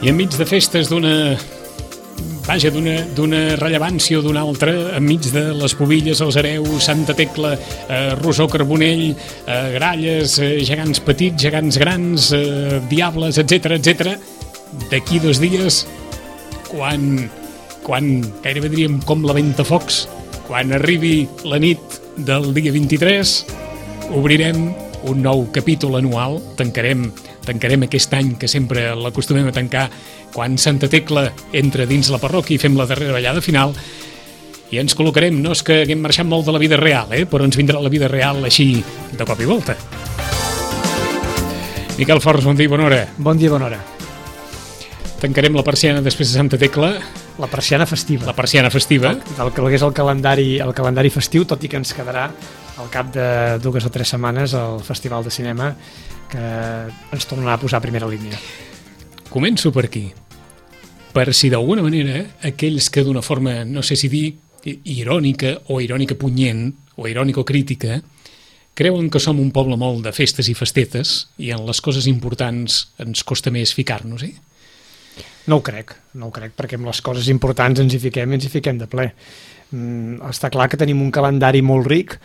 I enmig de festes d'una rellevància o d'una altra, enmig de les Pubilles, els Hereus, Santa Tecla, Rosó, Carbonell, Gralles, gegants petits, gegants grans, diables, etc. D'aquí 2 dies, quan gairebé diríem com la Ventafocs, quan arribi la nit del dia 23, obrirem un nou capítol anual, tancarem aquest any que sempre l'acostumem a tancar quan Santa Tecla entra dins la parròquia i fem la darrera ballada final, i ens col·locarem. No és que haguem marxat molt de la vida real, però ens vindrà la vida real així de cop i volta. Miquel Forns, bon dia i bona hora. Bon dia i bona hora. Tancarem la persiana després de Santa Tecla. La persiana festiva. La persiana festiva. Del que és el calendari festiu, tot i que ens quedarà al cap de 2 o 3 setmanes el Festival de Cinema, que ens tornarà a posar a primera línia. Començo per aquí. Per si d'alguna manera aquells que d'una forma, no sé si dir irònica o irònica punyent o irònica o crítica, creuen que som un poble molt de festes i festetes i en les coses importants ens costa més ficar-nos, No ho crec, perquè amb les coses importants ens hi fiquem de ple. Està clar que tenim un calendari molt ric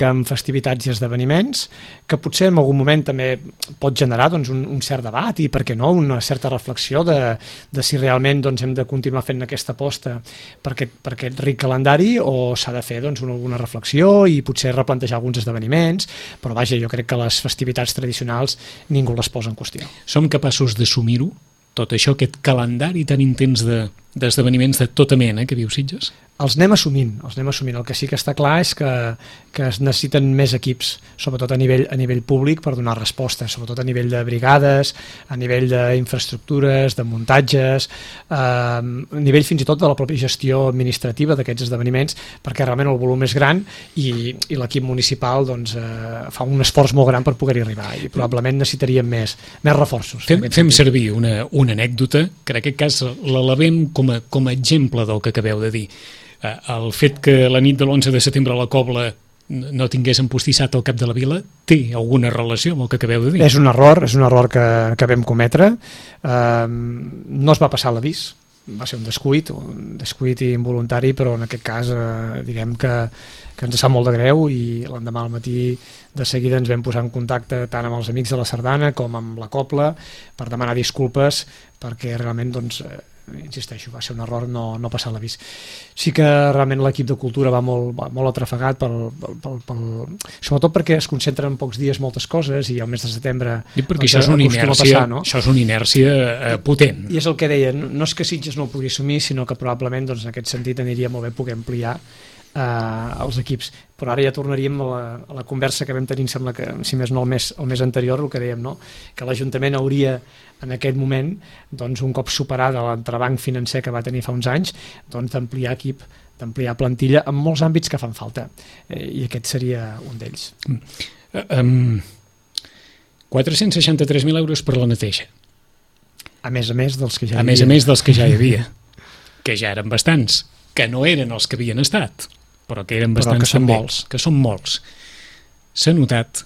en festivitats i esdeveniments, que potser en algun moment també pot generar un cert debat i, per què no, una certa reflexió de si realment hem de continuar fent aquesta aposta per aquest ric calendari o s'ha de fer alguna reflexió i potser replantejar alguns esdeveniments, però vaja, jo crec que les festivitats tradicionals ningú les posa en qüestió. Som capaços d'assumir-ho? Tot això, aquest calendari tan intens d'esdeveniments de tota mena que viu Sitges? Els anem assumint. El que sí que està clar és que es necessiten més equips, sobretot a nivell públic, per donar respostes, sobretot a nivell de brigades, a nivell d'infraestructures, de muntatges, a nivell fins i tot de la pròpia gestió administrativa d'aquests esdeveniments, perquè realment el volum és gran i l'equip municipal fa un esforç molt gran per poder-hi arribar i probablement necessitaríem més reforços. Fem servir una anècdota, que en aquest cas l'elevem com a exemple del que acabeu de dir. El fet que la nit de l'11 de setembre a la Cobla no tingués empostissat al cap de la vila té alguna relació amb el que acabeu de dir? És un error que vam cometre. No es va passar l'avís, va ser un descuit involuntari, però en aquest cas diguem que ens sap molt de greu i l'endemà al matí de seguida ens vam posar en contacte tant amb els amics de la Sardana com amb la Cobla per demanar disculpes perquè realment insisteixo, va ser un error no passar l'avís. Sí que realment l'equip de cultura va molt atrafegat sobretot perquè es concentren en pocs dies moltes coses i al mes de setembre perquè això és una inèrcia potent. I és el que deia, no és que Sitges no ho pugui assumir, sinó que probablement en aquest sentit aniria molt bé poder ampliar els equips, però ara ja tornaríem a la conversa que vam tenir, em sembla que si més no el mes anterior, el que dèiem, no? Que l'Ajuntament hauria en aquest moment, un cop superada l'entrebanc financer que va tenir fa uns anys, d'ampliar equip, d'ampliar plantilla en molts àmbits que fan falta, i aquest seria un d'ells. 463.000 euros per la neteja. A més dels que ja hi havia. A més dels que ja hi havia, que ja eren bastants, que no eren els que havien estat, però que eren bastants també, que són molts. S'ha notat?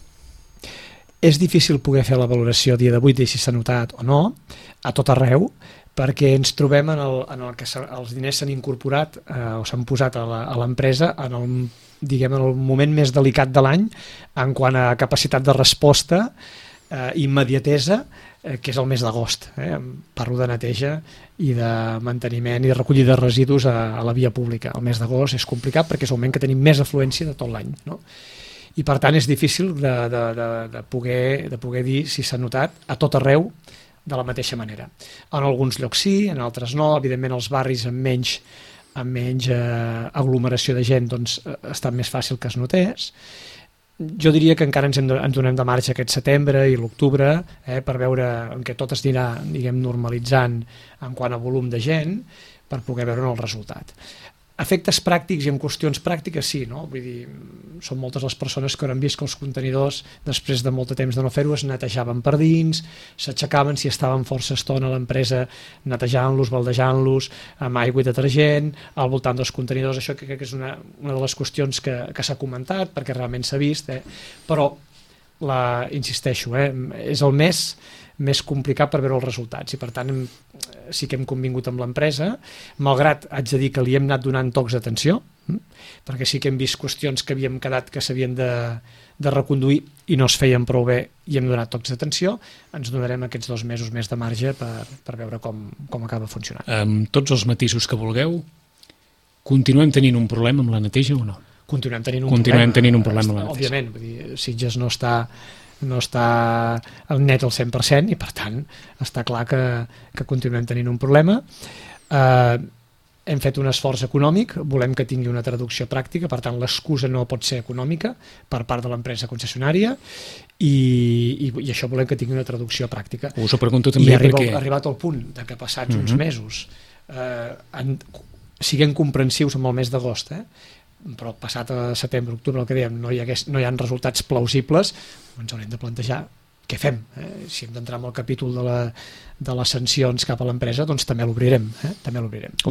És difícil poder fer la valoració a dia d'avui de si s'ha notat o no, a tot arreu, perquè ens trobem en el que els diners s'han incorporat o s'han posat a l'empresa en el moment més delicat de l'any en quant a capacitat de resposta, immediatesa, que és el mes d'agost. Parlo de neteja i de manteniment i recollida de residus a la via pública. El mes d'agost és complicat perquè és el moment que tenim més afluència de tot l'any, no? I per tant és difícil de poder dir si s'ha notat a tot arreu de la mateixa manera. En alguns llocs sí, en altres no. Evidentment els barris amb menys aglomeració de gent ha estat més fàcil que es notés. Jo diria que encara ens donem de marge aquest setembre i l'octubre per veure en què tot es anirà normalitzant en quant a volum de gent per poder veure el resultat. Efectes pràctics i en qüestions pràctiques sí, no? Vull dir, són moltes les persones que hauran vist que els contenidors, després de molt de temps de no fer-ho, es netejaven per dins, s'aixecaven si estaven força estona a l'empresa netejant-los, baldejant-los, amb aigua i detergent, al voltant dels contenidors. Això crec que és una de les qüestions que s'ha comentat, perquè realment s'ha vist, però insisteixo, és el mes més complicat per veure els resultats, i per tant sí que hem convingut amb l'empresa, malgrat haig de dir que li hem anat donant tocs d'atenció, perquè sí que hem vist qüestions que havíem quedat que s'havien de reconduir i no es feien prou bé i hem donat tocs d'atenció. Ens donarem aquests 2 mesos més de marge per veure com acaba funcionant. Amb tots els matisos que vulgueu, continuem tenint un problema amb la neteja o no? Continuem tenint un problema amb la neteja. Òbviament, vull dir, Sitges no està net al 100% i per tant està clar que continuem tenint un problema. Hem fet un esforç econòmic, volem que tingui una traducció pràctica, per tant l'excusa no pot ser econòmica per part de l'empresa concessionària i això volem que tingui una traducció pràctica. Us ho pregunto també perquè... Ha arribat al punt de que passats uns mesos siguem comprensius amb el mes d'agost, però passat a setembre, octubre, el que dèiem, no hi ha resultats plausibles, ens haurem de plantejar què fem. Si hem d'entrar en el capítol de les sancions cap a l'empresa, doncs també l'obrirem.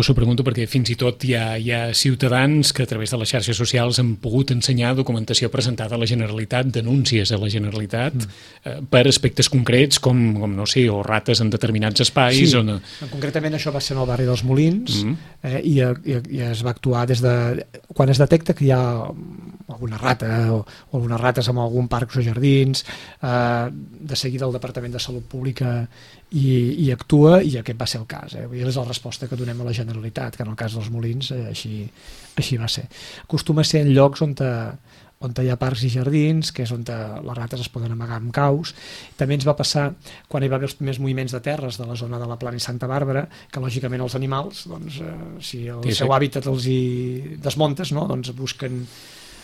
Us ho pregunto perquè fins i tot hi ha ciutadans que a través de les xarxes socials han pogut ensenyar documentació presentada a la Generalitat, denúncies a la Generalitat per aspectes concrets com no sé, o rates en determinats espais. Sí, concretament això va ser en el barri dels Molins i es va actuar des de... Quan es detecta que hi ha alguna rata o algunes rates en algun parc o jardins, de seguida el Departament de Salut Pública i actua, i aquest va ser el cas. És la resposta que donem a la Generalitat, que en el cas dels Molins així va ser. Acostuma a ser en llocs on hi ha parcs i jardins, que és on les rates es poden amagar amb caus. També ens va passar quan hi va haver els primers moviments de terres de la zona de la Plana i Santa Bàrbara, que lògicament els animals, doncs, si el seu hàbitat els hi desmuntes, no? Doncs busquen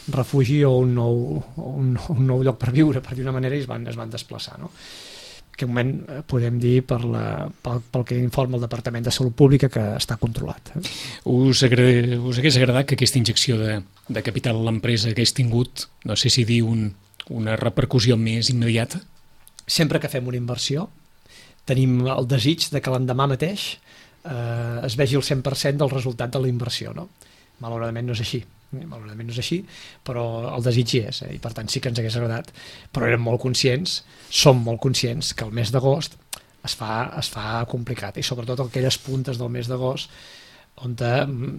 refugi o un nou lloc per viure, per dir una manera, i es van desplaçar, no? En aquest moment podem dir pel que informa el Departament de Salut Pública que està controlat. Us hagués agradat que aquesta injecció de capital a l'empresa hagués tingut, no sé si dir, una repercussió més immediata? Sempre que fem una inversió tenim el desig de que l'endemà mateix es vegi el 100% del resultat de la inversió, no? Malauradament no és així, però el desig hi és, i per tant sí que ens hagués agradat, però som molt conscients que el mes d'agost es fa complicat, i sobretot aquelles puntes del mes d'agost on,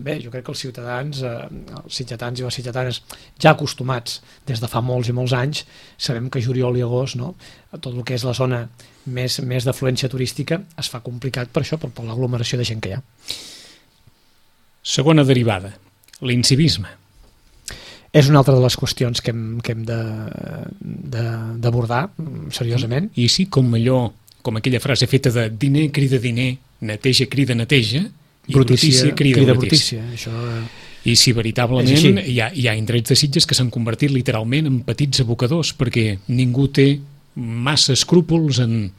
bé, jo crec que els ciutadans, els sitgetans i les sitgetanes, ja acostumats des de fa molts i molts anys, sabem que juliol i agost, no? Tot el que és la zona més d'afluència turística es fa complicat per això, per l'aglomeració de gent que hi ha. Segona derivada, l'incivisme. És una altra de les qüestions que hem d'abordar seriosament. I sí, com aquella frase feta de diner crida diner, neteja crida neteja, i brutícia crida brutícia. Això... I si veritablement hi ha indrets de Sitges que s'han convertit literalment en petits abocadors, perquè ningú té massa escrúpols en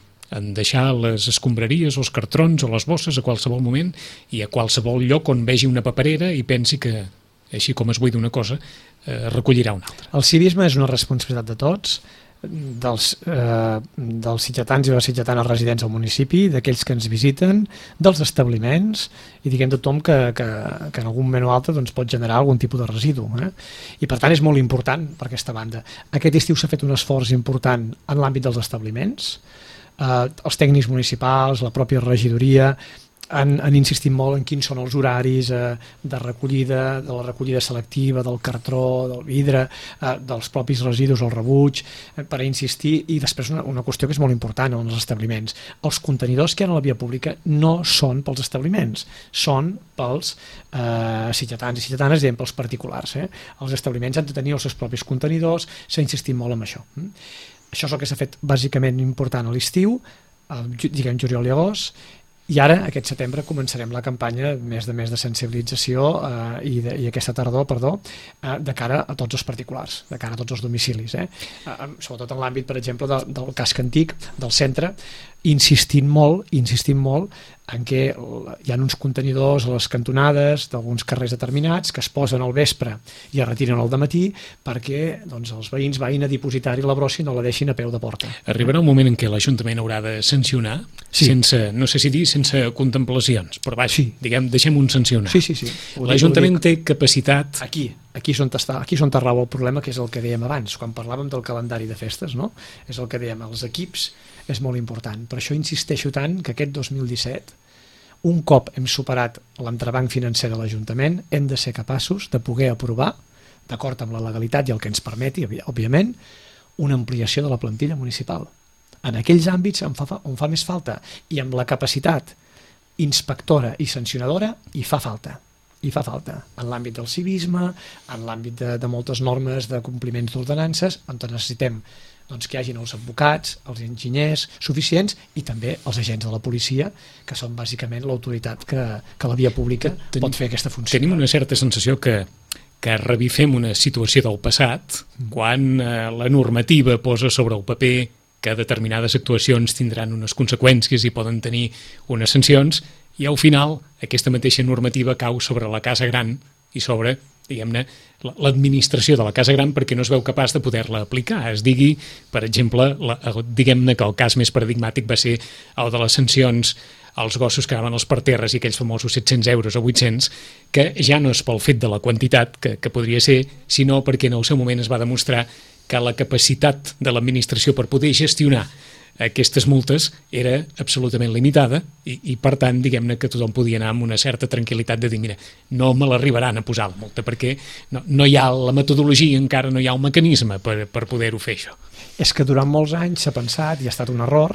deixar les escombraries o els cartrons o les bosses a qualsevol moment i a qualsevol lloc on vegi una paperera i pensi que, així com es buida una cosa, recollirà una altra. El civisme és una responsabilitat de tots, dels sitgetans i les sitgetanes residents al municipi, d'aquells que ens visiten, dels establiments i diguem tothom que en algun moment o altre doncs, pot generar algun tipus de residu. I per tant és molt important per aquesta banda. Aquest estiu s'ha fet un esforç important en l'àmbit dels establiments, els tècnics municipals, la pròpia regidoria han insistit molt en quins són els horaris de recollida, de la recollida selectiva, del cartró, del vidre, dels propis residus, el rebuig, per insistir. I després una qüestió que és molt important en els establiments. Els contenidors que hi ha a la via pública no són pels establiments, són pels sitgetans i sitgetanes, diguem, pels particulars. Els establiments han de tenir els seus propis contenidors, s'ha insistit molt en això. Això és el que s'ha fet bàsicament important a l'estiu, diguem juliol i agost, i ara, aquest setembre, començarem la campanya més de sensibilització i aquesta tardor, de cara a tots els particulars, de cara a tots els domicilis. Sobretot en l'àmbit, per exemple, del casc antic, del centre, insistint molt en què hi ha uns contenidors a les cantonades d'alguns carrers determinats que es posen al vespre i es retiren al dematí perquè doncs, els veïns vagin a dipositar-hi la brossa i no la deixin a peu de porta. Arribarà un moment en què l'Ajuntament haurà de sancionar, sense contemplacions, però vaja, diguem, deixem un sancionar. Sí. L'Ajuntament té capacitat... Aquí, aquí és on rau el problema, que és el que dèiem abans, quan parlàvem del calendari de festes, no? És el que dèiem, els equips és molt important. Per això insisteixo tant que aquest 2017, un cop hem superat l'entrebanc financer de l'Ajuntament, hem de ser capaços de poder aprovar, d'acord amb la legalitat i el que ens permeti, òbviament, una ampliació de la plantilla municipal. En aquells àmbits on fa més falta, i amb la capacitat inspectora i sancionadora hi fa falta. En l'àmbit del civisme, en l'àmbit de moltes normes de compliments d'ordenances, on necessitem que hi hagin els advocats, els enginyers suficients i també els agents de la policia, que són bàsicament l'autoritat que la via pública pot fer aquesta funció. Tenim una certa sensació que revifem una situació del passat quan la normativa posa sobre el paper que determinades actuacions tindran unes conseqüències i poden tenir unes sancions, i al final aquesta mateixa normativa cau sobre la casa gran i sobre, diguem-ne, l'administració de la casa gran, perquè no es veu capaç de poder-la aplicar. Es digui, per exemple, diguem-ne que el cas més paradigmàtic va ser el de les sancions als gossos que anaven als parterres i aquells famosos 700 euros o 800, que ja no és pel fet de la quantitat que podria ser, sinó perquè en el seu moment es va demostrar que la capacitat de l'administració per poder gestionar aquestes multes era absolutament limitada i per tant, diguem-ne que tothom podia anar amb una certa tranquil·litat de dir, mira, no me l'arribaran a posar la multa, perquè no hi ha la metodologia, encara no hi ha un mecanisme per poder-ho fer, això. És que durant molts anys s'ha pensat, i ha estat un error,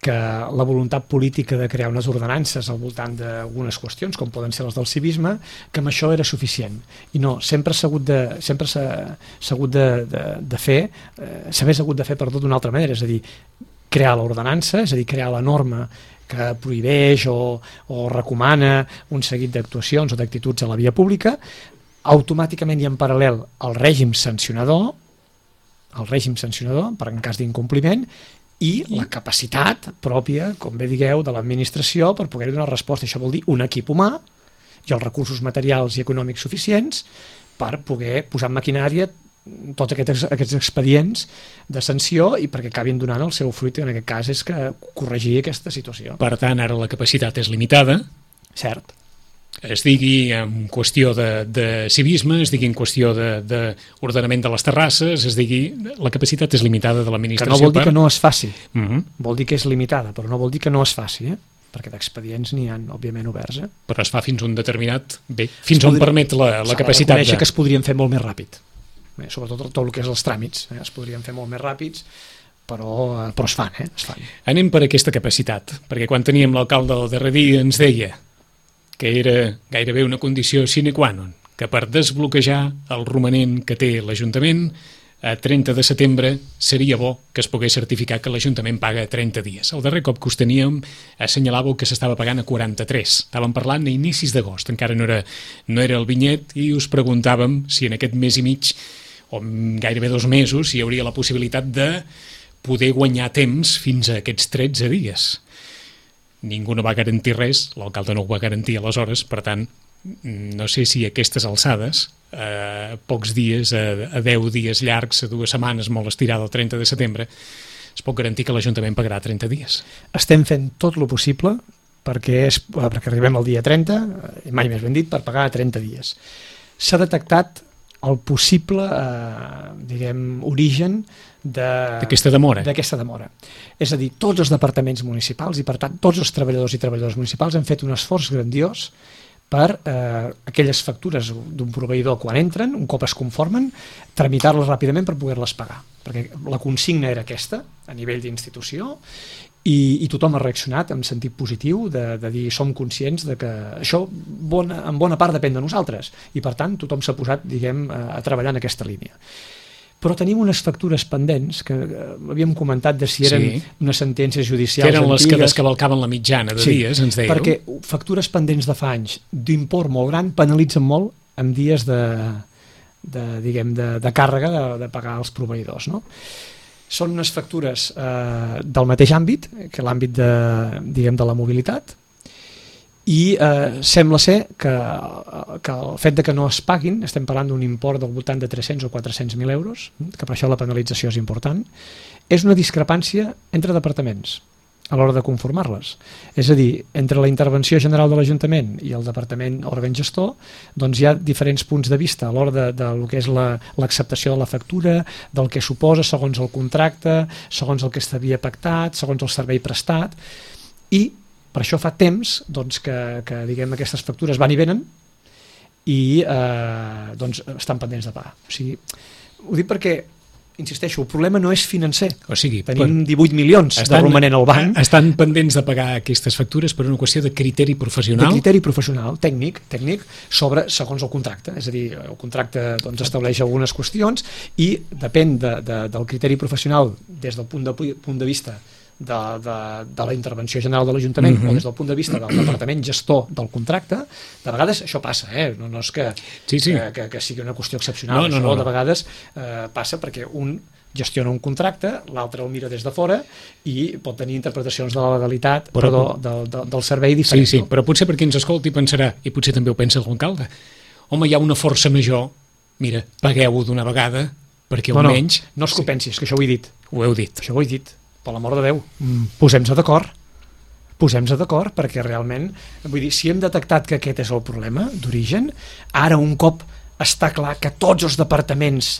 que la voluntat política de crear unes ordenances al voltant d'algunes qüestions, com poden ser les del civisme, que amb això era suficient. I no, sempre s'ha hagut de fer, s'hagués hagut de fer per tot d'una altra manera, és a dir, crear l'ordenança, és a dir, crear la norma que prohibeix o recomana un seguit d'actuacions o d'actituds a la via pública, automàticament i en paral·lel al règim sancionador, per en cas d'incompliment, i la capacitat pròpia, com bé digueu, de l'administració per poder donar resposta. Això vol dir un equip humà i els recursos materials i econòmics suficients per poder posar en maquinària tots aquests expedients de sanció i perquè acabin donant el seu fruit, en aquest cas és que corregir aquesta situació. Per tant, ara la capacitat és limitada. Cert. Es digui en qüestió de civisme, es digui en qüestió d'ordenament de les terrasses, es digui la capacitat és limitada de l'administració. Que no vol dir que no es faci, vol dir que és limitada, però no vol dir que no es faci, perquè d'expedients n'hi ha, òbviament, oberts. Però es fa fins un determinat... Bé, fins on permet la capacitat de... S'ha de reconèixer que es podrien fer molt més ràpid. Sobretot tot el que és els tràmits, es podrien fer molt més ràpids, però es fan, es fan. Anem per aquesta capacitat, perquè quan teníem l'alcalde el darrer dia ens deia que era gairebé una condició sine qua non, que per desbloquejar el romanent que té l'Ajuntament, a 30 de setembre seria bo que es pogués certificar que l'Ajuntament paga 30 dies. El darrer cop que us teníem assenyalàveu que s'estava pagant a 43. Estàvem parlant a inicis d'agost, encara no era el vinyet, i us preguntàvem si en aquest mes i mig o gairebé 2 mesos hi hauria la possibilitat de poder guanyar temps fins a aquests 13 dies. Ningú no va garantir res, l'alcalde no ho va garantir aleshores, per tant, no sé si a aquestes alçades, a pocs dies, a 10 dies llargs, a 2 setmanes molt estirada el 30 de setembre, es pot garantir que l'Ajuntament pagarà 30 dies. Estem fent tot el possible perquè arribem al dia 30, mai més ben dit, per pagar a 30 dies. S'ha detectat el possible origen d'aquesta demora. És a dir, tots els departaments municipals i per tant tots els treballadors i treballadores municipals han fet un esforç grandiós per aquelles factures d'un proveïdor quan entren, un cop es conformen, tramitar-les ràpidament per poder-les pagar, perquè la consigna era aquesta a nivell d'institució i tothom ha reaccionat en sentit positiu de dir som conscients de que això en bona part depèn de nosaltres i per tant tothom s'ha posat a treballar en aquesta línia. Però tenim unes factures pendents que havíem comentat de si eren unes sentències judicials antigues. Que eren les que descavalcaven la mitjana de dies, ens dèieu. Perquè factures pendents de fa anys d'import molt gran penalitzen molt en dies de càrrega de pagar els proveïdors, no? Són unes factures del mateix àmbit, que l'àmbit de la mobilitat, i sembla ser que el fet de que no es paguin, estem parlant d'un import del voltant de 300 o 400.000 euros, que per això la penalització és important, és una discrepància entre departaments. a l'hora de conformar-les. És a dir, entre la intervenció general de l'Ajuntament i el departament òrgan gestor, doncs hi ha diferents punts de vista a l'hora de lo que és l'acceptació de la factura, del que suposa segons el contracte, segons el que s'havia pactat, segons el servei prestat, i per això fa temps doncs, que diguem, aquestes factures van i venen i doncs, estan pendents de pagar. O sigui, ho dic perquè insisteixo, el problema no és financer. O sigui, tenim 18 milions de romanent al banc. Estan pendents de pagar aquestes factures per una qüestió de criteri professional? De criteri professional, tècnic, segons el contracte. És a dir, el contracte doncs, estableix algunes qüestions i depèn del criteri professional des del punt de vista de la intervenció general de l'Ajuntament o des del punt de vista del departament gestor del contracte. De vegades això passa, no és que sigui una qüestió excepcional, de vegades passa perquè un gestiona un contracte, l'altre el mira des de fora i pot tenir interpretacions de la legalitat del servei diferents. Sí, però potser per qui ens escolti pensarà, i potser també ho pensa l'alcalde, home, hi ha una força major, mira, pagueu-ho d'una vegada perquè almenys... No és que ho pensis, que això ho he dit. Ho heu dit. Això ho he dit. Per l'amor de Déu, posem-nos d'acord, perquè realment, vull dir, si hem detectat que aquest és el problema d'origen, ara un cop està clar que tots els departaments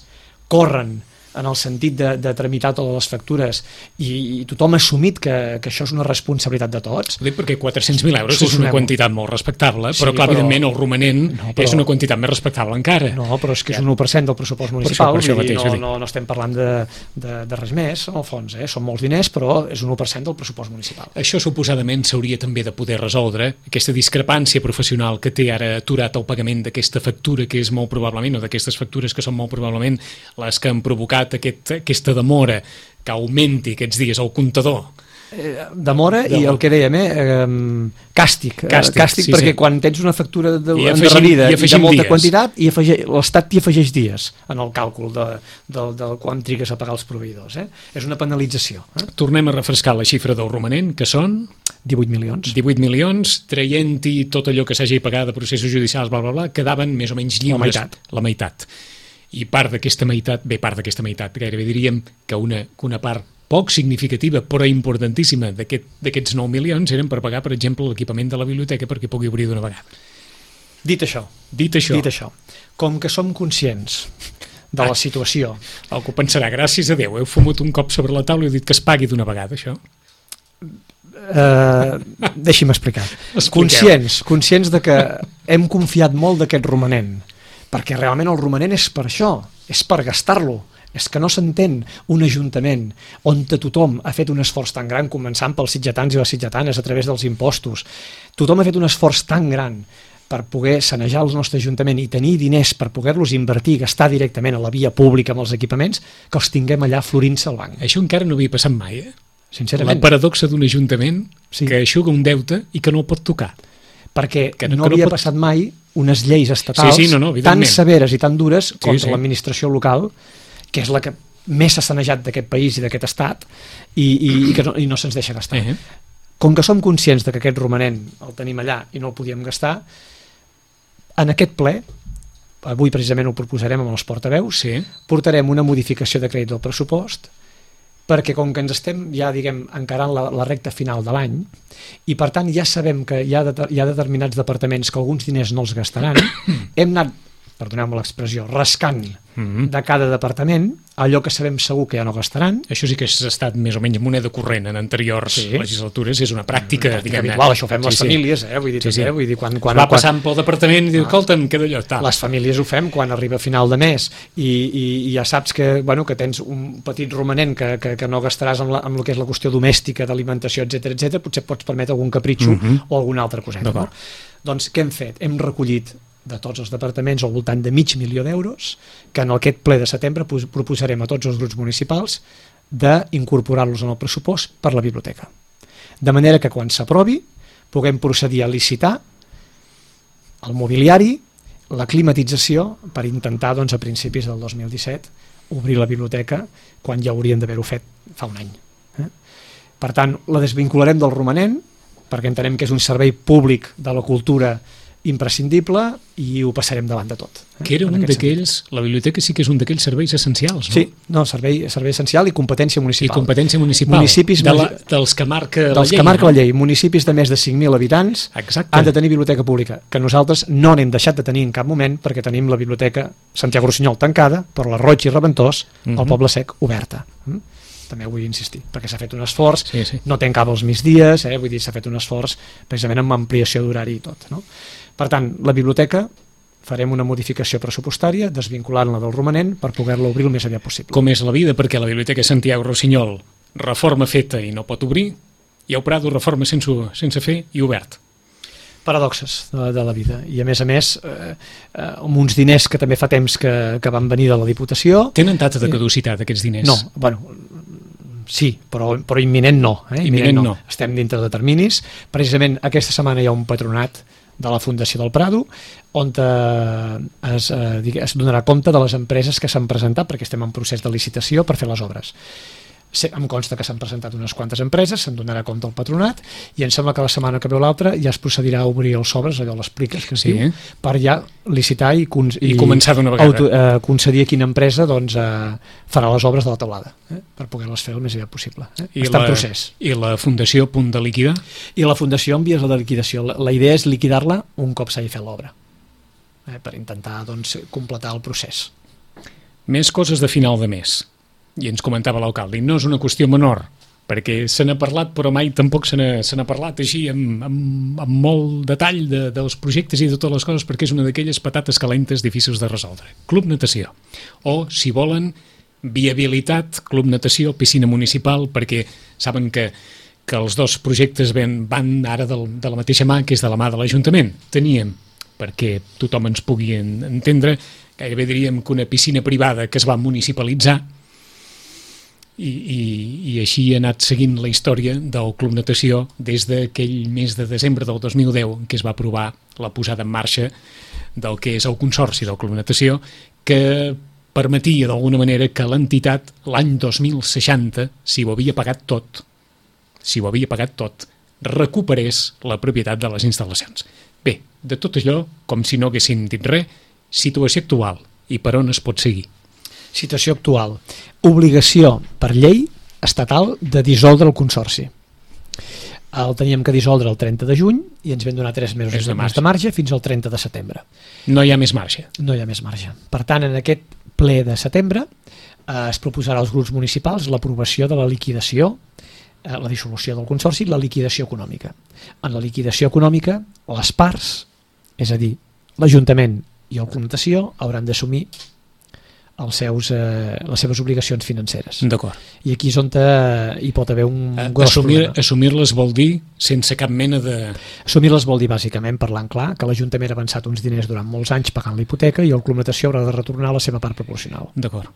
corren en el sentit de tramitar totes les factures i tothom ha assumit que això és una responsabilitat de tots. Ho dic perquè 400.000 euros és una quantitat molt respectable, però clar, evidentment el romanent és una quantitat més respectable encara. No, però és que és un 1% del pressupost municipal, no estem parlant de res més, en el fons, són molts diners, però és un 1% del pressupost municipal. Això suposadament s'hauria també de poder resoldre, aquesta discrepància professional que té ara aturat el pagament d'aquesta factura, que és molt probablement, o d'aquestes factures que són molt probablement les que han provocat aquesta demora que augmenti aquests dies el comptador. Demora i el que dèiem, càstic perquè quan tens una factura endarrerida i de molta quantitat, l'Estat t'hi afegeix dies en el càlcul de quan trigues a pagar els proveïdors. És una penalització. Tornem a refrescar la xifra del romanent, que són 18 milions. 18 milions, traient-hi tot allò que s'hagi pagat de processos judicials, quedaven més o menys lliures. La meitat. I part d'aquesta meitat, gairebé diríem que una part poc significativa però importantíssima d'aquests 9 milions eren per pagar, per exemple, l'equipament de la biblioteca perquè pugui obrir d'una vegada. Dit això, com que som conscients de la situació... Algú pensarà, gràcies a Déu, heu fumut un cop sobre la taula i heu dit que es pagui d'una vegada, això? Deixi'm explicar. Conscients de que hem confiat molt d'aquest romanent, perquè realment el romanent és per això, és per gastar-lo. És que no s'entén un ajuntament on tothom ha fet un esforç tan gran, començant pels sitgetans i les sitgetanes a través dels impostos. Tothom ha fet un esforç tan gran per poder sanejar el nostre ajuntament i tenir diners per poder-los invertir i gastar directament a la via pública amb els equipaments, que els tinguem allà florint-se al banc. Això encara no havia passat mai, Sincerament. La paradoxa d'un ajuntament que aixuga un deute i que no el pot tocar. Perquè no havia passat mai unes lleis estatals tan severes i tan dures contra l'administració local, que és la que més s'ha sanejat d'aquest país i d'aquest estat, i no se'ns deixa gastar. Com que som conscients que aquest romanent el tenim allà i no el podíem gastar, en aquest ple, avui precisament ho proposarem amb els portaveus, portarem una modificació de crèdit del pressupost, perquè com que ens estem ja, encarant la recta final de l'any, i per tant ja sabem que hi ha determinats departaments que alguns diners no els gastaran, hem anat, perdoneu-me l'expressió, rascant de cada departament allò que sabem segur que ja no gastaran. Això sí que ha estat més o menys moneda corrent en anteriors legislatures, és una pràctica habitual, això ho fem les famílies, vull dir, quan va passant pel departament i diu, escolta'm, queda allò, tal. Les famílies ho fem quan arriba a final de mes i ja saps que tens un petit romanent que no gastaràs amb el que és la qüestió domèstica, d'alimentació, etc, potser pots permetre algun capritxo o alguna altra coseta. Doncs què hem fet? Hem recollit de tots els departaments al voltant de $500.000 que en aquest ple de setembre proposarem a tots els grups municipals d'incorporar-los en el pressupost per la biblioteca. De manera que quan s'aprovi puguem procedir a licitar el mobiliari, la climatització, per intentar a principis del 2017 obrir la biblioteca quan ja hauríem d'haver-ho fet fa un any. Per tant, la desvincularem del romanent perquè entenem que és un servei públic de la cultura imprescindible i ho passarem davant de tot. Que era un d'aquells, la biblioteca sí que és un d'aquells serveis essencials, no? Sí, no, servei essencial i competència municipal. I competència municipal, municipis dels que marca la llei. Que marca la llei. Municipis de més de 5.000 habitants han de tenir biblioteca pública, que nosaltres no n'hem deixat de tenir en cap moment perquè tenim la biblioteca Santiago Rossinyol tancada, però la Roig i Reventós, el Poble Sec, oberta. També vull insistir, perquè s'ha fet un esforç, no tanca els migdies, vull dir, s'ha fet un esforç precisament amb ampliació d'horari i tot, no? Per tant, la biblioteca farem una modificació pressupostària desvinculant-la del romanent per poder-la obrir el més aviat possible. Com és la vida, perquè la biblioteca Santiago Rossinyol, reforma feta i no pot obrir, i el Prado, reforma sense fer i obert. Paradoxes de la vida, i a més amb uns diners que també fa temps que van venir de la Diputació. Tenen data de caducitat aquests diners? No, bueno, sí, però imminent no. Imminent no. Estem dintre de terminis. Precisament aquesta setmana hi ha un patronat de la Fundació del Prado on es donarà compte de les empreses que s'han presentat, perquè estem en procés de licitació per fer les obres. Em consta que s'han presentat unes quantes empreses, se'n donarà compte al patronat, i em sembla que la setmana que ve l'altra ja es procedirà a obrir els sobres, allò les pliques que es diu, per ja licitar i començar d'una vegada. Concedir a quina empresa farà les obres de la teulada, per poder-les fer el més aviat possible. Està en procés. I la Fundació, punt de liquidar? I la Fundació en vies de liquidació. La idea és liquidar-la un cop s'hagi fet l'obra, per intentar completar el procés. Més coses de final de mes. I ens comentava l'alcalde, no és una qüestió menor, perquè se n'ha parlat, però mai tampoc se n'ha parlat així amb molt detall dels projectes i de totes les coses, perquè és una d'aquelles patates calentes difícils de resoldre. Club Natació, o, si volen, viabilitat, Club Natació, piscina municipal, perquè saben que els dos projectes van ara de la mateixa mà, que és de la mà de l'Ajuntament. Teníem, perquè tothom ens pugui entendre, gairebé diríem que una piscina privada que es va municipalitzar, i així ha anat seguint la història del Club Natació des d'aquell mes de desembre del 2010 que es va aprovar la posada en marxa del que és el Consorci del Club Natació, que permetia d'alguna manera que l'entitat l'any 2060, si ho havia pagat tot, recuperés la propietat de les instal·lacions. Bé, de tot allò, com si no haguessin dit res, situació actual i per on es pot seguir. Situació actual. Obligació per llei estatal de dissoldre el Consorci. El teníem que dissoldre el 30 de juny i ens vam donar 3 mesos de marge fins al 30 de setembre. No hi ha més marge. No hi ha més marge. Per tant, en aquest ple de setembre es proposarà als grups municipals l'aprovació de la liquidació, la dissolució del Consorci i la liquidació econòmica. En la liquidació econòmica, les parts, és a dir, l'Ajuntament i el Club Natació, hauran d'assumir les seves obligacions financeres. D'acord. I aquí és on hi pot haver un gros problema. Assumir-les vol dir sense cap mena de... Assumir-les vol dir, bàsicament, parlant clar, que l'Ajuntament ha avançat uns diners durant molts anys pagant la hipoteca i el Club Natació haurà de retornar la seva part proporcional. D'acord.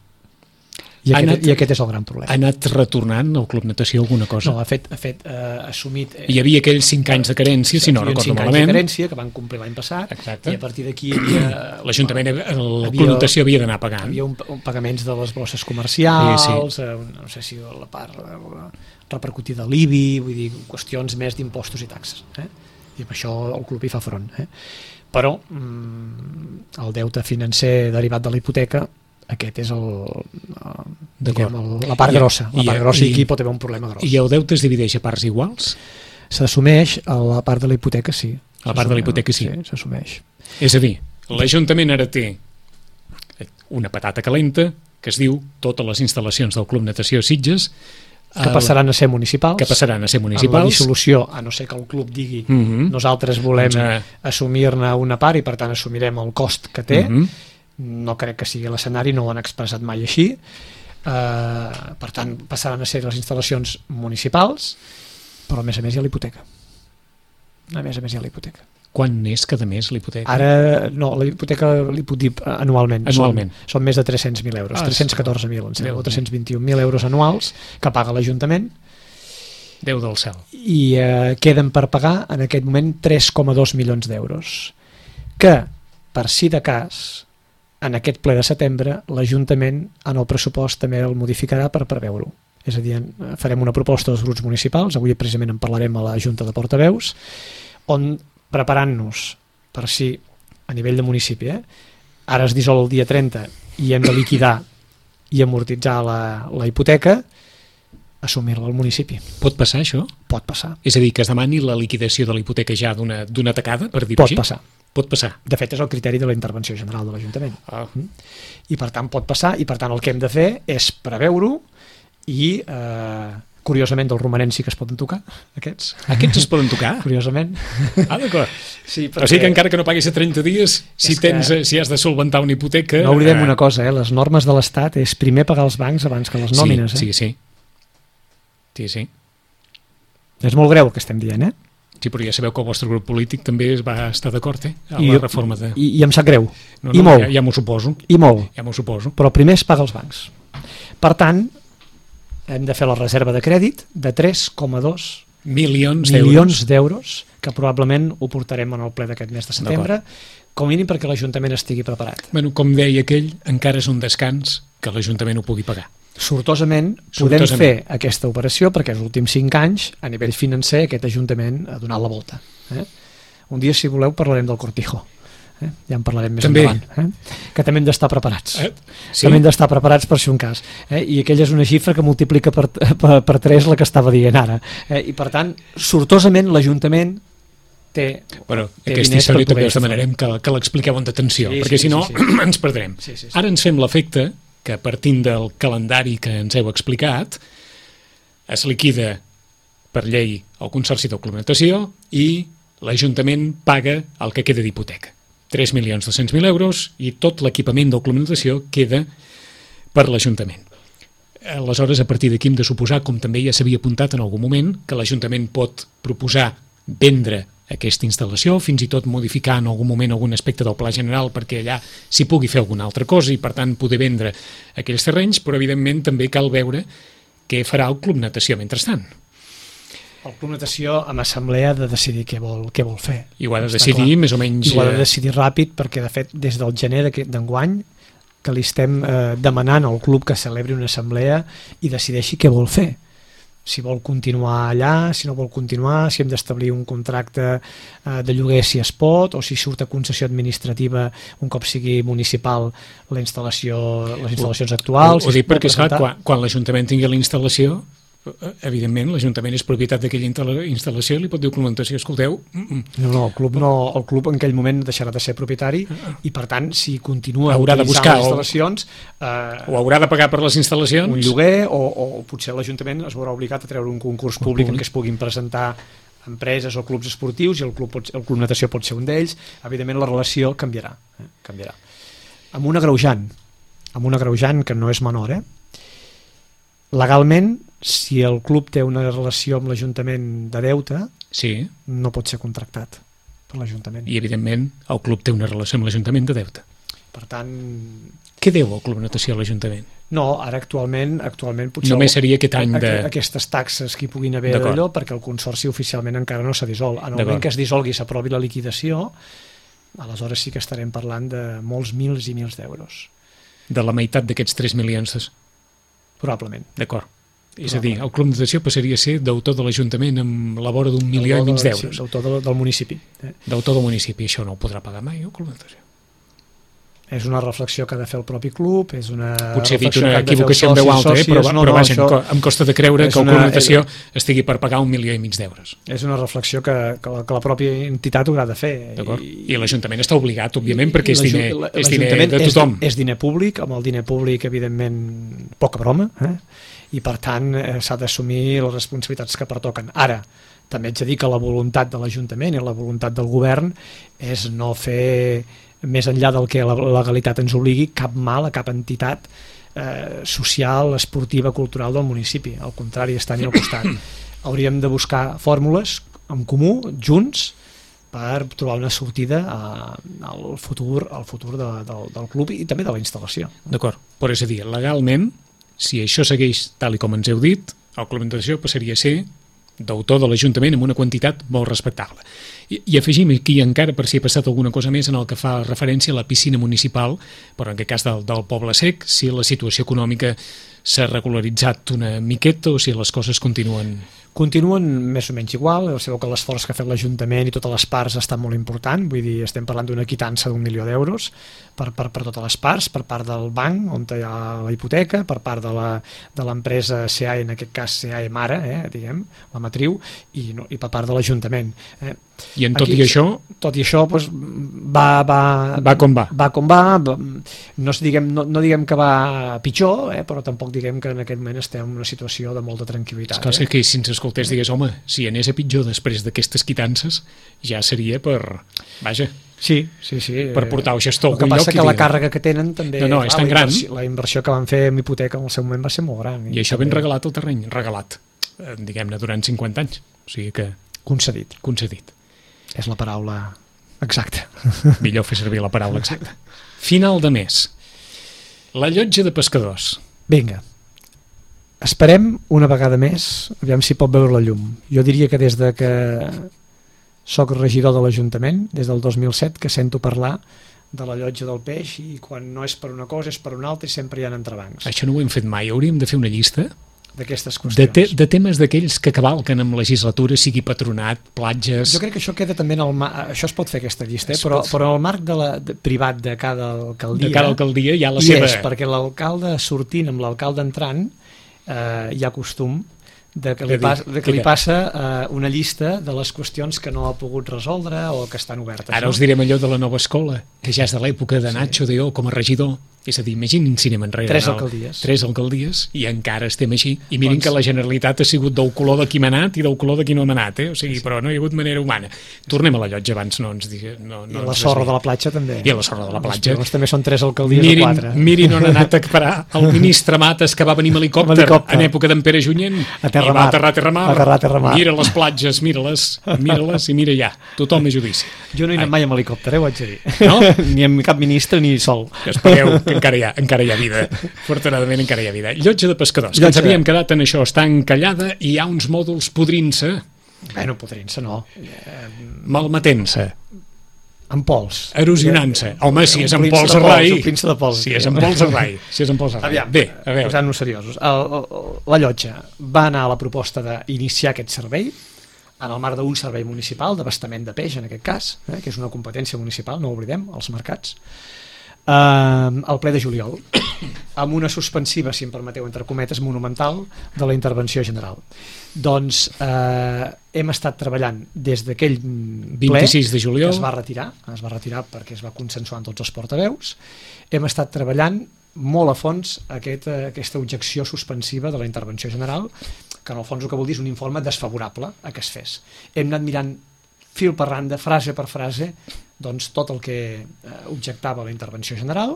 I aquest és el gran problema. Ha anat retornant al Club Natació alguna cosa? No, ha fet assumit... Hi havia aquells 5 anys de carència, si no recordo malament. 5 anys de carència que van complir l'any passat. Exacte. I a partir d'aquí l'Ajuntament, el Club Natació havia d'anar pagant. Hi havia pagaments de les bosses comercials, no sé si la part repercutida a l'IBI, vull dir, qüestions més d'impostos i taxes. I amb això el club hi fa front. Però el deute financer derivat de la hipoteca, aquest és la part grossa. La part grossa i aquí pot haver un problema gros. I el deute es divideix a parts iguals? S'assumeix a la part de la hipoteca, sí. A la part de la hipoteca, sí. Sí, s'assumeix. És a dir, l'Ajuntament ara té una patata calenta que es diu totes les instal·lacions del Club Natació Sitges que passaran a ser municipals. En la dissolució, a no ser que el club digui nosaltres volem assumir-ne una part i per tant assumirem el cost que té. No crec que sigui l'escenari, no ho han expressat mai així. Per tant, passaran a ser les instal·lacions municipals, però a més hi ha l'hipoteca. Quan és cada mes l'hipoteca? Ara, no, la hipoteca li puc dir anualment. Són més de 300.000 euros, 314.000, o 321.000 euros anuals que paga l'Ajuntament. Déu del cel. I queden per pagar en aquest moment 3,2 milions d'euros. Que, per si de cas, en aquest ple de setembre, l'Ajuntament en el pressupost també el modificarà per preveure-ho. És a dir, farem una proposta als grups municipals, avui precisament en parlarem a la Junta de Portaveus, on preparant-nos per si a nivell de municipi, ara es dissol el dia 30 i hem de liquidar i amortitzar la hipoteca, assumir-la al municipi. Pot passar això? Pot passar. És a dir, que es demani la liquidació de la hipoteca ja d'una tacada, per dir-ho així? Pot passar. Pot passar. De fet, és el criteri de la intervenció general de l'Ajuntament. Ah. I per tant pot passar, i per tant el que hem de fer és preveure-ho i, curiosament, dels romanents sí que es poden tocar, aquests. Aquests es poden tocar? Curiosament. Ah, d'acord. Sí, perquè... O sigui que encara que no paguis a 30 dies, si has de solventar una hipoteca... No oblidem una cosa, les normes de l'Estat és primer pagar els bancs abans que les nòmines. Sí. És molt greu el que estem dient, Sí, però ja sabeu que el vostre grup polític també es va estar d'acord, amb la reforma de... I em sap greu. No, I molt. Ja m'ho suposo. I molt. Ja m'ho suposo. Però primer es paga als bancs. Per tant, hem de fer la reserva de crèdit de 3,2 milions d'euros, que probablement ho portarem en el ple d'aquest mes de setembre, com a mínim perquè l'Ajuntament estigui preparat. Bueno, com deia aquell, encara és un descans que l'Ajuntament ho pugui pagar. Sortosament podem fer aquesta operació perquè els últims 5 anys, a nivell financer, aquest Ajuntament ha donat la volta. Un dia, si voleu, parlarem del Cortijo. Ja en parlarem més endavant. Que també hem d'estar preparats. Sí? També hem d'estar preparats per si un cas. I aquella és una xifra que multiplica per 3 la que estava dient ara. I per tant, sortosament l'Ajuntament té... Bueno, aquesta història també us demanarem que l'expliqueu amb atenció, perquè si no ens perdrem. Ara ens fem l'efecte que partint del calendari que ens heu explicat es liquida per llei el Consorci de Complementació i l'Ajuntament paga el que queda d'hipoteca. 3.200.000 euros i tot l'equipament de complementació queda per l'Ajuntament. Aleshores, a partir d'aquí hem de suposar, com també ja s'havia apuntat en algun moment, que l'Ajuntament pot proposar vendre aquesta instal·lació, fins i tot modificar en algun moment algun aspecte del pla general perquè allà s'hi pugui fer alguna altra cosa i per tant poder vendre aquells terrenys, però evidentment també cal veure què farà el Club Natació mentrestant. El Club Natació amb assemblea ha de decidir què vol fer. I ho ha de decidir més o menys... I ho ha de decidir ràpid perquè de fet des del gener d'enguany que li estem demanant al club que celebri una assemblea i decideixi què vol fer. Si vol continuar allà, si no vol continuar, si hem d'establir un contracte de lloguer si es pot, o si surt a concessió administrativa un cop sigui municipal les instal·lacions actuals. Ho dic perquè, esclar, quan l'Ajuntament tingui la instal·lació, evidentment l'Ajuntament és propietat d'aquella instal·lació i li pot dir complementació, escolteu... No, el club en aquell moment deixarà de ser propietari i per tant si continua haurà de buscar les instal·lacions o haurà de pagar per les instal·lacions un lloguer o potser l'Ajuntament es veurà obligat a treure un concurs públic en què es puguin presentar empreses o clubs esportius i el club natació pot ser un d'ells. Evidentment la relació canviarà. Amb un agreujant que no és menor, legalment, si el club té una relació amb l'Ajuntament de deute, no pot ser contractat per l'Ajuntament. I, evidentment, el club té una relació amb l'Ajuntament de deute. Per tant... Què deu el Club Natació a l'Ajuntament? No, ara actualment potser... Només seria aquest any de... Aquestes taxes que hi puguin haver d'allò, perquè el Consorci oficialment encara no s'ha dissolt. En el moment que es dissolgui i s'aprovi la liquidació, aleshores sí que estarem parlant de molts mils i mils d'euros. De la meitat d'aquests 3 milions? Probablement. D'acord. És a dir, el Club Natació passaria a ser deutor de l'Ajuntament amb la vora d'1,5 milió d'euros. Sí, deutor del municipi. Deutor del municipi. Això no ho podrà pagar mai, el Club Natació. És una reflexió que ha de fer el propi club, és una... Potser he dit una equivocació en veu alta, però vaja, em costa de creure que el Club Natació estigui per pagar 1,5 milió d'euros. És una reflexió que la pròpia entitat haurà de fer. I l'Ajuntament està obligat, òbviament, perquè és diner de tothom. És diner públic, amb el diner públic, evidentment, poca broma, i per tant s'ha d'assumir les responsabilitats que pertoquen. Ara, també haig de dir que la voluntat de l'Ajuntament i la voluntat del govern és no fer, més enllà del que la legalitat ens obligui, cap mal a cap entitat social, esportiva, cultural del municipi. Al contrari, estan al costat. Hauríem de buscar fórmules en comú, junts, per trobar una sortida al futur del club i també de la instal·lació. D'acord, però és a dir, legalment, si això segueix tal com ens heu dit, el Club Natació passaria a ser deutor de l'Ajuntament amb una quantitat molt respectable. I afegim aquí encara, per si ha passat alguna cosa més, en el que fa referència a la piscina municipal, però en aquest cas del Poble Sec, si la situació econòmica s'ha regularitzat una miqueta o si les coses continuen... Continuen més o menys igual, sabeu que l'esforç que ha fet l'Ajuntament i totes les parts està molt important, vull dir, estem parlant d'una quitança d'1 milió d'euros per totes les parts, per part del banc, on hi ha la hipoteca, per part de l'empresa CAE, en aquest cas CAE Mare, diguem, la matriu, i per part de l'Ajuntament. I en tot i això... Tot i això, doncs, va com va. Va com va, no diguem que va pitjor, però tampoc diguem que en aquest moment estem en una situació de molta tranquil·litat. És clar, que si ens escoltés digués, home, si anés a pitjor després d'aquestes quitances, ja seria per... Vaja... Sí. Per portar el gestor a algun lloc. El que passa que la càrrega que tenen també... No, és tan gran. La inversió que van fer en hipoteca en el seu moment va ser molt gran. I això ben regalat el terreny, regalat, diguem-ne, durant 50 anys. O sigui que... Concedit. És la paraula exacta. Millor fer servir la paraula exacta. Final de mes. La llotja de pescadors. Vinga. Esperem una vegada més, aviam si pot veure la llum. Jo diria que des de que soc regidor de l'Ajuntament, des del 2007, que sento parlar de la llotja del peix i quan no és per una cosa és per una altra i sempre hi ha entrebancs. Això no ho hem fet mai, hauríem de fer una llista d'aquestes qüestions. De temes d'aquells que cavalquen amb legislatura, sigui patronat, platges... Jo crec que això queda també en el això es pot fer aquesta llista, però en el marc privat de cada alcaldia... De cada alcaldia hi ha la seva... és perquè l'alcalde sortint amb l'alcalde entrant hi ha costum de que li passa una llista de les qüestions que no ha pogut resoldre o que estan obertes. Ara us direm allò de la nova escola, que ja és de l'època de Nacho Deó com a regidor. És a dir, imaginin si anem enrere. 3 alcaldies i encara estem així. I mirin que la Generalitat ha sigut del color de qui m'ha anat i del color de qui no m'ha anat, O sigui, però no hi ha hagut manera humana. Tornem a la llotja abans, no ens digui... I la sorra de la platja també. I la sorra de la platja. També són 3 alcaldies o 4. Mirin on ha anat a parar el ministre Mates, que va venir amb helicòpter en època d'en Pere Junyent i va aterrar a Terramar. Mira les platges, mira-les i mira ja. Tothom és judici. Jo no he anat mai amb helicòpter, ho haig de dir. No? Ni amb cap ministre ni sol. Espereu que encara hi ha vida. Afortunadament encara hi ha vida. Llotja de pescadors, que ens havíem quedat en això, està encallada i hi ha uns mòduls podrint-se. Bueno, podrint-se no. Malmetent-se. En pols. Erosionant-se. Home, si és en pols a rai... Si és en pols a rai. Aviam, bé, a veure. Posant-nos seriosos. La llotja va anar a la proposta d'iniciar aquest servei en el marc d'un servei municipal d'abastament de peix, en aquest cas, que és una competència municipal, no ho oblidem, als mercats, al ple de juliol, amb una suspensiva, si em permeteu, entre cometes, monumental de la intervenció general. Doncs hem estat treballant des d'aquell ple 26 de juliol que es va retirar perquè es va consensuar amb tots els portaveus. Hem estat treballant molt a fons aquesta objecció suspensiva de la intervenció general, que en el fons el que vol dir és un informe desfavorable a que es fes. Hem anat mirant fil per randa, frase per frase, doncs tot el que objectava la intervenció general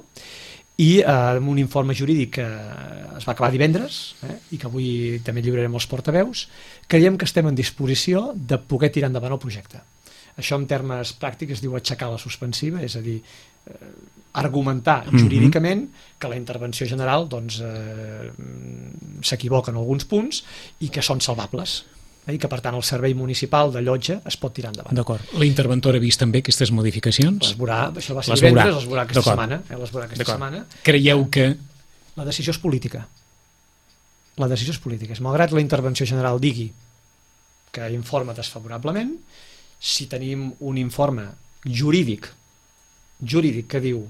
i amb un informe jurídic que es va acabar divendres i que avui també lliurarem als portaveus, creiem que estem en disposició de poder tirar endavant el projecte. Això en termes pràctics es diu aixecar la suspensiva, és a dir, argumentar jurídicament que la intervenció general doncs, s'equivoca en alguns punts i que són salvables i que per tant el servei municipal de llotja es pot tirar endavant. D'acord. La interventora ha vist també aquestes modificacions? Això va ser divendres, les veurà aquesta setmana. Creieu que... La decisió és política. Malgrat la intervenció general digui que informa desfavorablement, si tenim un informe jurídic que diu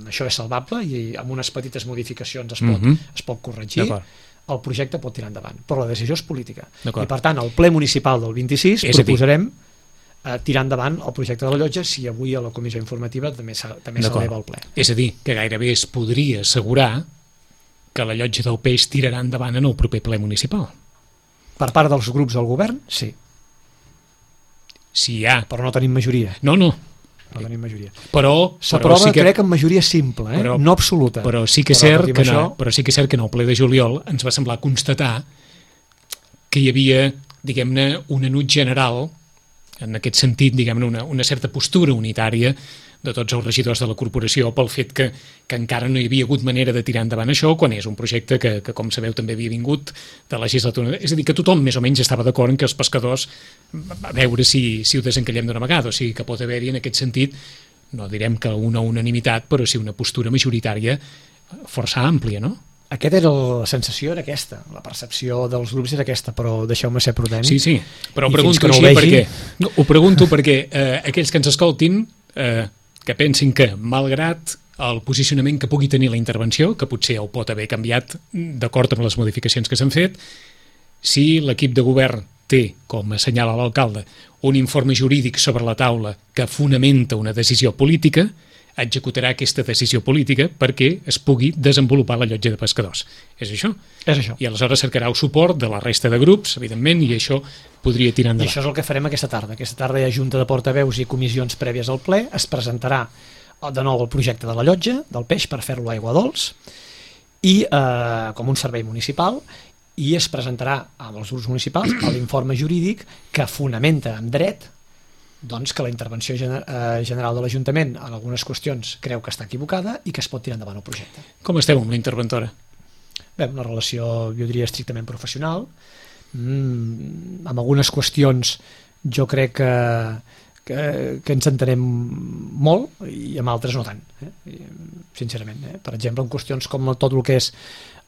això és salvable i amb unes petites modificacions es pot corregir, el projecte pot tirar endavant, però la decisió és política. I per tant, al ple municipal del 26 proposarem tirar endavant el projecte de la llotja si avui a la comissió informativa també s'eleva al ple. És a dir, que gairebé es podria assegurar que la llotja del peix tirarà endavant en el proper ple municipal. Per part dels grups del govern, sí. Si hi ha... Però no tenim majoria. No tenim majoria. S'aprova, crec, en majoria simple, no absoluta. Però sí que és cert que en el ple de juliol ens va semblar constatar que hi havia, diguem-ne, un enuig general en aquest sentit, diguem-ne, una certa postura unitària de tots els regidors de la corporació pel fet que encara no hi havia hagut manera de tirar endavant això quan és un projecte que com sabeu, també havia vingut de legislatura. És a dir, que tothom més o menys estava d'acord en que els pescadors, a veure si ho desencallem d'una vegada, o sigui que pot haver-hi en aquest sentit, no direm que una unanimitat, però sí una postura majoritària força àmplia, no? La sensació era aquesta, la percepció dels grups era aquesta, però deixeu-me ser prudent. Sí, però ho pregunto així ho pregunto perquè aquells que ens escoltin que pensin que, malgrat el posicionament que pugui tenir la intervenció, que potser ho pot haver canviat d'acord amb les modificacions que s'han fet, si l'equip de govern té, com assenyala l'alcalde, un informe jurídic sobre la taula que fonamenta una decisió política, executarà aquesta decisió política perquè es pugui desenvolupar la llotja de pescadors. És això? És això. I aleshores cercarà el suport de la resta de grups, evidentment, i això podria tirar endavant. I això és el que farem aquesta tarda. Aquesta tarda hi ha junta de portaveus i comissions prèvies al ple, es presentarà de nou el projecte de la llotja, del peix, per fer-lo a aigua dolç, i com un servei municipal, i es presentarà amb els grups municipals l'informe jurídic que fonamenta en dret doncs que la intervenció general de l'Ajuntament en algunes qüestions creu que està equivocada i que es pot tirar endavant el projecte. Com esteu amb la interventora? Bé, una relació, jo diria, estrictament professional. Amb algunes qüestions jo crec que ens entenem molt i amb altres no tant, sincerament. Per exemple, en qüestions com tot el que és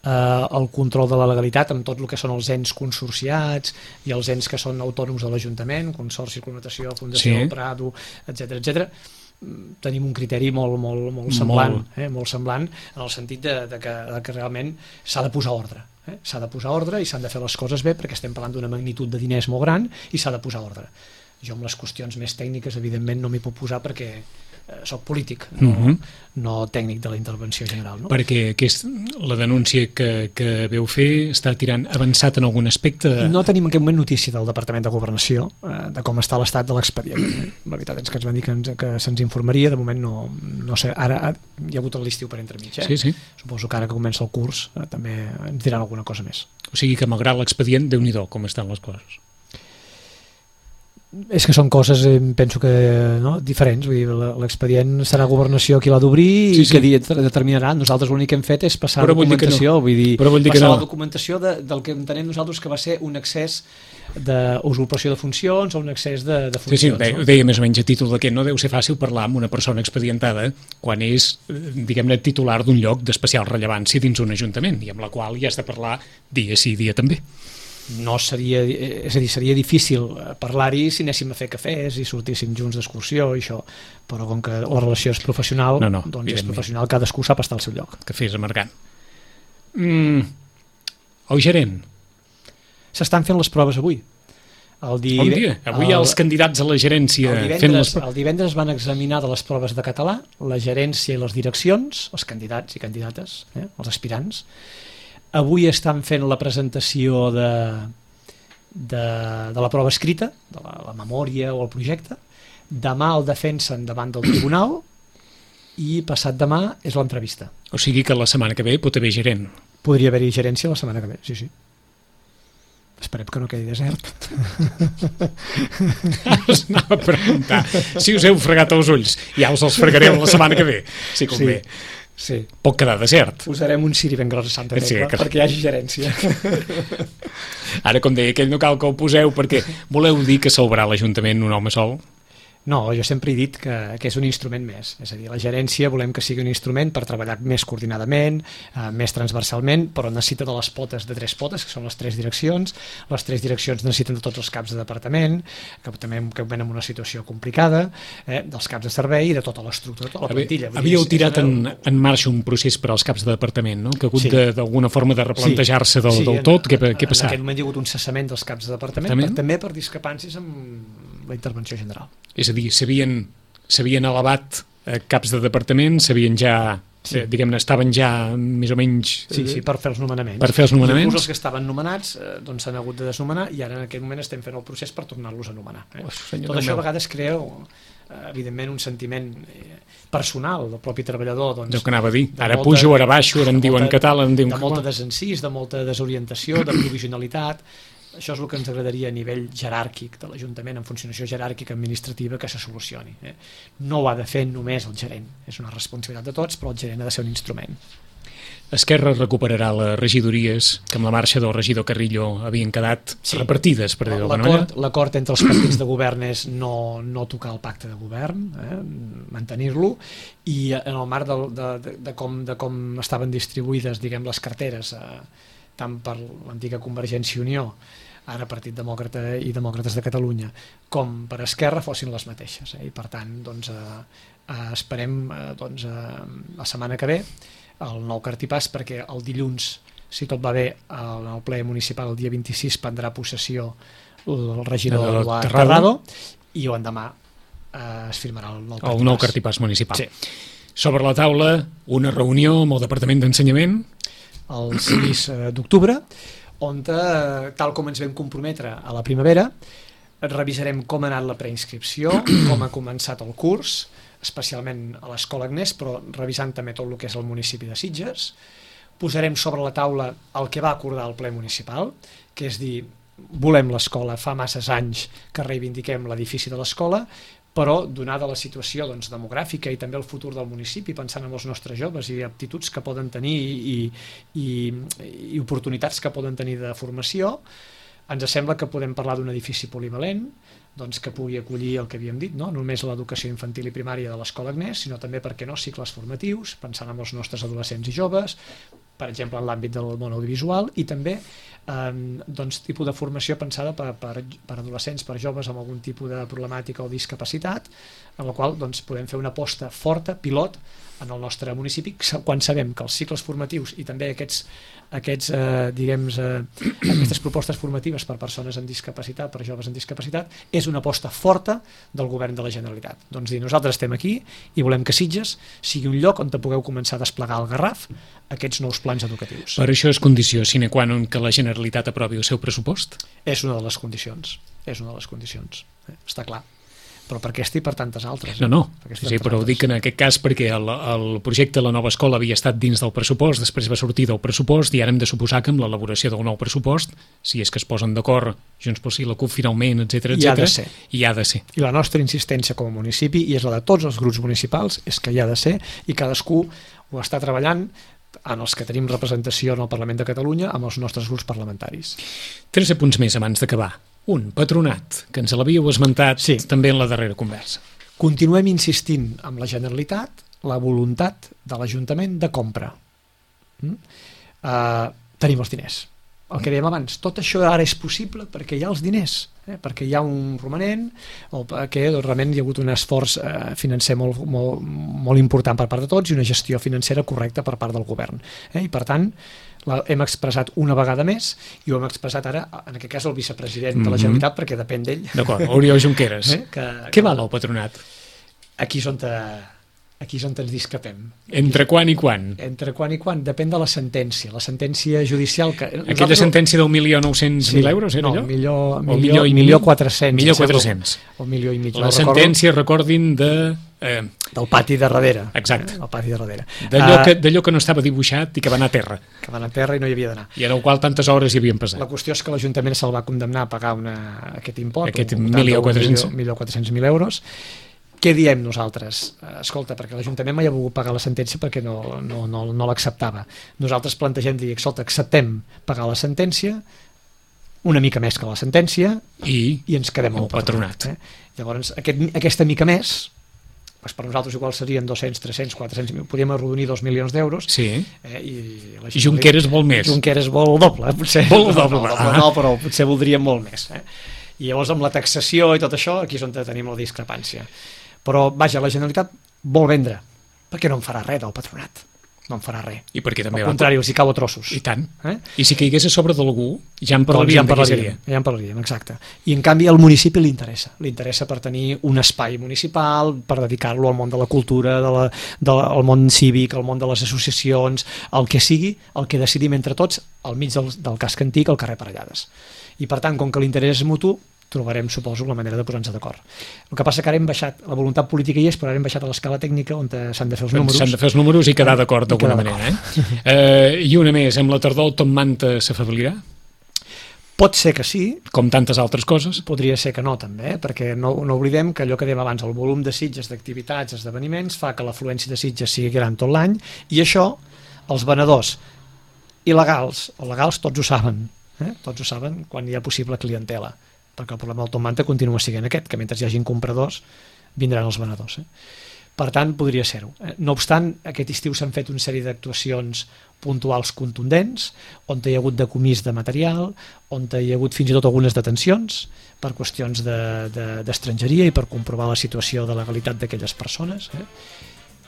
el control de la legalitat amb tot el que són els ens consorciats i els ens que són autònoms de l'Ajuntament, Consorci, Connotació, Fundació, sí. Prado, etc. Tenim un criteri molt semblant, molt semblant en el sentit de que realment s'ha de posar ordre. S'ha de posar ordre i s'han de fer les coses bé perquè estem parlant d'una magnitud de diners molt gran i s'ha de posar ordre. Jo amb les qüestions més tècniques evidentment no m'hi puc posar perquè soc polític, no tècnic de la intervenció general. No? Perquè la denúncia que veu fer està tirant avançat en algun aspecte? No tenim en aquest moment notícia del Departament de Governació de com està l'estat de l'expedient. La veritat és que ens van dir que se'ns informaria, de moment no sé, ara hi ha hagut l'estiu per entremig. Sí. Suposo que ara que comença el curs també ens diran alguna cosa més. O sigui que malgrat l'expedient, Déu-n'hi-do com estan les coses. És que són coses, penso que diferents, vull dir, l'expedient serà Governació qui l'ha d'obrir i que determinarà. Nosaltres l'únic que hem fet és passar documentació, vull dir, passar la documentació del que entenem nosaltres que va ser un excés d'usurpació de funcions o un excés de funcions. Sí, ho deia més o menys a títol de que no deu ser fàcil parlar amb una persona expedientada quan és, diguem-ne, titular d'un lloc d'especial rellevància dins un ajuntament i amb la qual hi has de parlar dia sí, dia també. No seria, és a dir, seria difícil parlar-hi si anéssim a fer cafès i sortíssim junts d'excursió i això, però com que la relació és professional, doncs és professional, cadascú sap estar al seu lloc. Cafès amargant. El gerent? S'estan fent les proves avui. Avui els candidats a la gerència el divendres van examinar de les proves de català la gerència i les direccions, els candidats i candidates, els aspirants. Avui estan fent la presentació de la prova escrita, de la memòria o el projecte. Demà el defensen davant del tribunal i passat demà és l'entrevista. O sigui que la setmana que ve pot haver gerent. Podria haver-hi gerència la setmana que ve, sí. Esperem que no quedi desert. Us anava a preguntar si us heu fregat els ulls. Ja us els fregareu la setmana que ve, si convé. Sí. Pot quedar desert. Posarem un ciri ben gros a Santa Tecla perquè hi hagi gerència. Ara, com deia aquell, no cal que ho poseu perquè voleu dir que salvarà l'Ajuntament un home sol? No, jo sempre he dit que és un instrument més. És a dir, la gerència volem que sigui un instrument per treballar més coordinadament, més transversalment, però necessita de les potes, de 3 potes, que són les 3 direccions. Les 3 direccions necessiten de tots els caps de departament, que també ven en una situació complicada, dels caps de servei i de tota l'estructura, tota la plantilla. Havíeu tirat en marxa un procés per als caps de departament, no? Que ha hagut d'alguna forma de replantejar-se del tot. Què ha passat? En aquest moment hi ha hagut un cessament dels caps de departament, també per discrepàncies amb la intervenció general. És a dir, s'havien elevat caps de departament, s'havien ja, diguem-ne, estaven ja més o menys... Sí, per fer els nomenaments. Per fer els nomenaments. Inclús els que estaven nomenats doncs s'han hagut de desnomenar i ara en aquest moment estem fent el procés per tornar-los a nomenar. Tot això a vegades crea, evidentment, un sentiment personal del propi treballador. Doncs, que anava a dir, ara pujo, ara baixo, ara em diuen català, em diuen... De molta desencís, de molta desorientació, de provisionalitat... Això és el que ens agradaria a nivell jeràrquic de l'Ajuntament, en funcionació jeràrquica administrativa, que se solucioni. No ho ha de fer només el gerent, és una responsabilitat de tots, però el gerent ha de ser un instrument. Esquerra recuperarà les regidories que amb la marxa del regidor Carrillo havien quedat repartides, per dir d'alguna manera. L'acord entre els partits de govern és no tocar el pacte de govern, mantenir-lo, i en el marc de com estaven distribuïdes, diguem, les carteres, tant per l'antiga Convergència i Unió, ara Partit Demòcrata i Demòcrates de Catalunya, com per Esquerra, fossin les mateixes. I per tant, esperem la setmana que ve el nou cartipàs, perquè el dilluns, si tot va bé, en el ple municipal el dia 26 prendrà possessió el regidor Eduard Terrado, i l'endemà es firmarà el nou cartipàs municipal. Sí. Sobre la taula, una reunió amb el Departament d'Ensenyament el 6 d'octubre, on, tal com ens vam comprometre a la primavera, revisarem com ha anat la preinscripció, com ha començat el curs, especialment a l'Escola Agnès, però revisant també tot el que és el municipi de Sitges. Posarem sobre la taula el que va acordar el ple municipal, que és dir, volem l'escola, fa masses anys que reivindiquem l'edifici de l'escola, però donada la situació demogràfica i també el futur del municipi, pensant en els nostres joves i aptituds que poden tenir i oportunitats que poden tenir de formació, ens sembla que podem parlar d'un edifici polivalent, que pugui acollir el que havíem dit, no només l'educació infantil i primària de l'Escola Agnès, sinó també, per què no, cicles formatius, pensant en els nostres adolescents i joves, per exemple en l'àmbit del món audiovisual, i també tipus de formació pensada per adolescents, per joves amb algun tipus de problemàtica o discapacitat, en la qual podem fer una aposta forta, pilot, en el nostre municipi, quan sabem que els cicles formatius i també aquestes propostes formatives per persones amb discapacitat, per joves amb discapacitat, és una aposta forta del govern de la Generalitat. Nosaltres estem aquí i volem que Sitges sigui un lloc on pugueu començar a desplegar al Garraf aquests nous plans educatius. Per això és condició sine qua non que la Generalitat aprovi el seu pressupost? És una de les condicions, està clar. Però per aquesta i per tantes altres. No, però ho dic en aquest cas perquè el projecte de la nova escola havia estat dins del pressupost, després va sortir del pressupost i ara hem de suposar que amb l'elaboració del nou pressupost, si és que es posen d'acord Junts pel Sí, la CUP finalment, etc, hi ha de ser. I la nostra insistència com a municipi, i és la de tots els grups municipals, és que hi ha de ser, i cadascú ho està treballant en els que tenim representació en el Parlament de Catalunya amb els nostres grups parlamentaris. 13 punts més abans d'acabar. Un, patronat, que ens l'havíeu esmentat també en la darrera conversa. Continuem insistint amb la Generalitat la voluntat de l'Ajuntament de compra. Tenim els diners. El que dèiem abans, tot això ara és possible perquè hi ha els diners, perquè hi ha un romanent o perquè realment hi ha hagut un esforç financer molt important per part de tots i una gestió financera correcta per part del govern. I per tant, hem expressat una vegada més i ho hem expressat ara, en aquest cas el vicepresident de la Generalitat, perquè depèn d'ell. D'acord, Oriol Junqueras. Què val el patronat? Aquí és on ens discrepem. Entre quan i quan? Entre quan i quan? Depèn de la sentència judicial. Aquella sentència del 1.900.000 euros, era allò? No, 1.400.000. O $1.500.000. La sentència, recordin, del pati de darrere. Exacte. El pati de darrere. D'allò que no estava dibuixat i que va anar a terra. Que va anar a terra i no hi havia d'anar. I en el qual tantes hores hi havien passat. La qüestió és que l'Ajuntament se'l va condemnar a pagar aquest import, aquest 1.400.000 euros. Què diem nosaltres? Escolta, perquè l'Ajuntament mai ha volgut pagar la sentència perquè no l'acceptava. Nosaltres plantegem dir, escolta, acceptem pagar la sentència, una mica més que la sentència, i ens quedem amb el patronat. Llavors, aquesta mica més, per nosaltres igual serien 200, 300, 400, podríem arrodonir 2 milions d'euros. Sí. I Junqueras vol més. Junqueras vol el doble, potser. Vol el doble. No, però potser voldríem molt més. I llavors amb la taxació i tot això, aquí és on tenim la discrepància. Però, vaja, la Generalitat vol vendre. Per què no en farà res del patronat? No en farà res. I perquè també al contrari, els hi cau a trossos. I tant. I si caigués a sobre d'algú, ja en parlaríem. Ja en parlaríem, exacte. I en canvi al municipi li interessa per tenir un espai municipal, per dedicar-lo al món de la cultura, al món cívic, al món de les associacions, el que sigui, el que decidim entre tots, al mig del casc antic, al carrer Parellades. I per tant, com que l'interès és mutu, trobarem, suposo, la manera de posar-nos d'acord. El que passa que ara hem baixat, la voluntat política hi és, però ara hem baixat a l'escala tècnica on s'han de fer els números. S'han de fer els números i quedar d'acord d'alguna manera. I una més, amb la tardor Tom Manta s'afeblirà? Pot ser que sí, Com tantes altres coses. podria ser que no també, perquè no oblidem que allò que dèiem abans, el volum de Sitges, d'activitats, esdeveniments, fa que l'afluència de Sitges sigui gran tot l'any, i això els venedors il·legals o legals tots ho saben, tots ho saben quan hi ha possible clientela, perquè el problema del Top Manta continua sent aquest, que mentre hi hagin compradors vindran els venedors. Per tant, podria ser-ho. No obstant, aquest estiu s'han fet una sèrie d'actuacions puntuals contundents, on hi ha hagut decomís de material, on hi ha hagut fins i tot algunes detencions per qüestions d'estrangeria i per comprovar la situació de legalitat d'aquelles persones,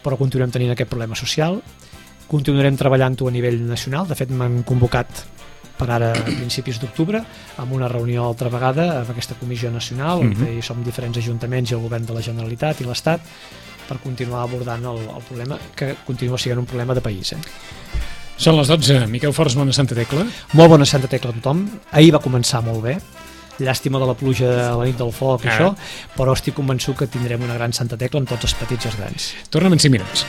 però continuem tenint aquest problema social, continuarem treballant-ho a nivell nacional. De fet, m'han convocat per ara a principis d'octubre amb una reunió altra vegada amb aquesta comissió nacional on hi som diferents ajuntaments i el govern de la Generalitat i l'Estat per continuar abordant el problema, que continua sent un problema de país. Són les 12. Miquel Forns, bona Santa Tecla. Molt bona Santa Tecla a tothom. Ahir va començar molt bé. Llàstima de la pluja a la nit del foc, això, però estic convençut que tindrem una gran Santa Tecla amb tots els petits i els grans. Tornem en 5 minuts.